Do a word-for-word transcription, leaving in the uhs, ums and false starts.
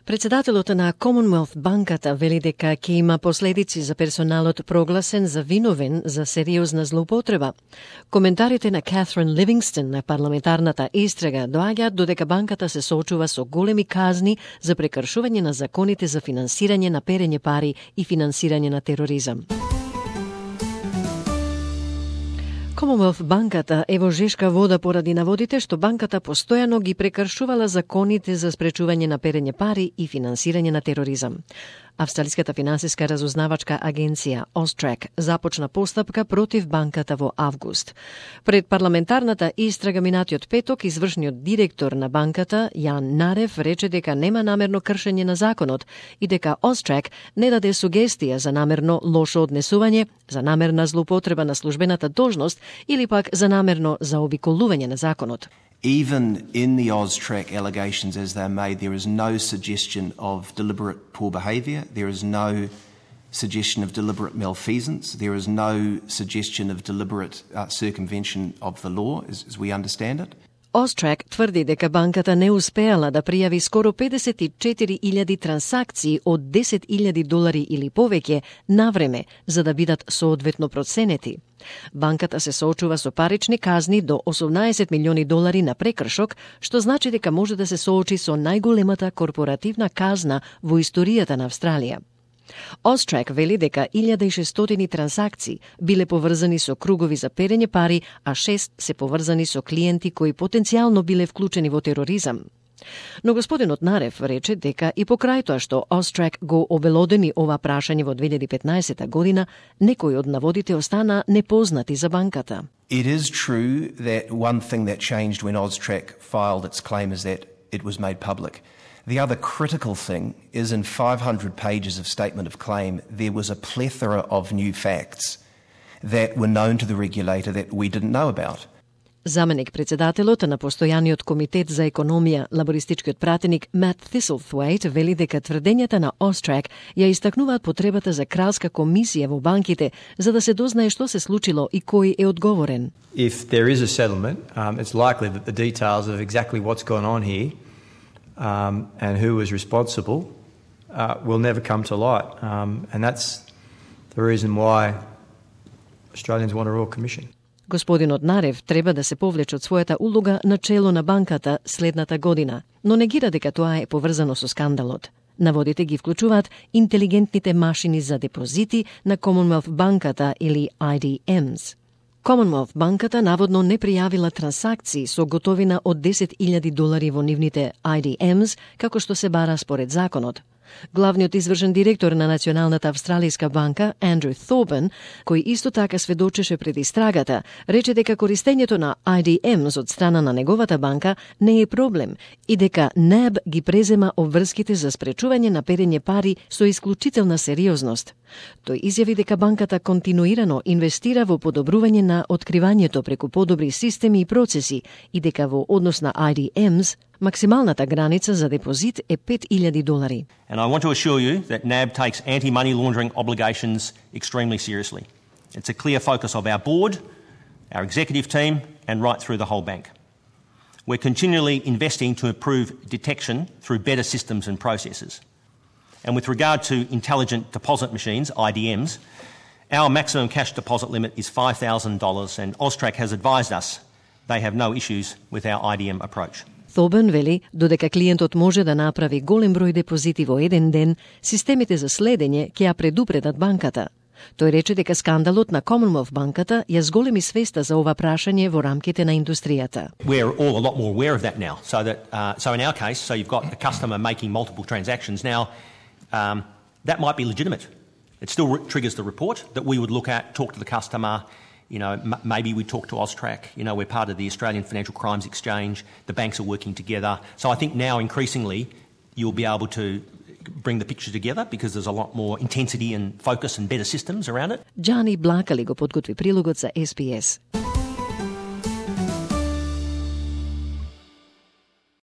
Председателот на Commonwealth банката вели дека ќе има последици за персоналот прогласен за виновен за сериозна злоупотреба. Коментарите на Catherine Livingstone на парламентарната истрага доаѓаат додека банката се соочува со големи казни за прекршување на законите за финансирање на перење пари и финансирање на тероризам. Commonwealth банката е во жешка вода поради наводите што банката постојано ги прекршувала законите за спречување на перење пари и финансирање на тероризам. Австралиската финансиска разузнавачка агенција Austrac започна постапка против банката во август. Пред парламентарната истрага минатиот петок, извршниот директор на банката, Јан Нарев, рече дека нема намерно кршење на законот и дека Austrac не даде сугестија за намерно лошо однесување, за намерна злоупотреба на службената должност или пак за намерно заобиколување на законот. Even in the Austrac allegations as they're made, there is no suggestion of deliberate poor behaviour. There is no suggestion of deliberate malfeasance. There is no suggestion of deliberate uh, circumvention of the law, as, as we understand it. Austrac тврди дека банката не успеала да пријави скоро педесет и четири илјади трансакции од десет илјади долари или повеќе на време, за да бидат соодветно проценети. Банката се соочува со парични казни до осумнаесет милиони долари на прекршок, што значи дека може да се соочи со најголемата корпоративна казна во историјата на Австралија. Austrac вели дека илјада и шестстотини трансакции биле поврзани со кругови за перење пари, а шест се поврзани со клиенти кои потенцијално биле вклучени во тероризам. Но господинот Нарев рече дека и покрај тоа што Austrac го обелодени ова прашање во две илјади и петнаесета година, некои од наводите остана непознати за банката. It is true that one thing that changed when Austrac filed its claim is that it was made public. The other critical thing is in five hundred pages of statement of claim, there was a plethora of new facts that were known to the regulator that we didn't know about. Заменик председателот на постојаниот комитет за економија, лабористичкиот пратеник Matt Thistlethwaite вели дека тврдењата на Austrac ја истакнуваат потребата за кралска комисија во банките за да се дознае што се случило и кој е одговорен. If there is a settlement, um, it's likely that the details of exactly what's gone on here um, and who was responsible uh, will never come to light. Um, and that's the reason why Australians want a Royal Commission. Господинот Нарев треба да се повлече од својата улога на чело на банката следната година, но негира дека тоа е поврзано со скандалот. Наводите ги вклучуваат интелигентните машини за депозити на Commonwealth банката или I D Ms. Commonwealth банката наводно не пријавила трансакции со готовина од десет илјади долари во нивните I D Ms, како што се бара според законот. Главниот извршен директор на Националната австралиска банка, Андрю Thorburn, кој исто така сведочеше пред истрагата, рече дека користењето на I D Ms од страна на неговата банка не е проблем и дека N A B ги презема обврските за спречување на перење пари со исклучителна сериозност. Тој изјави дека банката континуирано инвестира во подобрување на откривањето преку подобри системи и процеси и дека во однос на I D Ms максималната граница за депозит е пет илјади долари. And I want to assure you that N A B takes anti-money laundering obligations extremely seriously. It's a clear focus of our board, our executive team, and right through the whole bank. We're continually investing to improve detection through better systems and processes. And with regard to intelligent deposit machines, I D Ms, our maximum cash deposit limit is five thousand dollars, and Austrac has advised us they have no issues with our I D M approach. Thorburn вели, додека клиентот може да направи голем број депозити во еден ден, системите за следење ќе ја предупредат банката. Тој рече дека скандалот на Commonwealth банката ја зголеми свеста за ова прашање во рамките на индустријата. We're all a lot more aware of that now. So that uh, so in our case, so you've got a customer making multiple transactions now. Um, that might be legitimate. It still re- triggers the report that we would look at, talk to the customer. You know, m- maybe we talk to Austrac. You know, we're part of the Australian Financial Crimes Exchange. The banks are working together. So I think now increasingly you'll be able to bring the picture together because there's a lot more intensity and focus and better systems around it. Джани Блакали го подготви прилогот за S B S.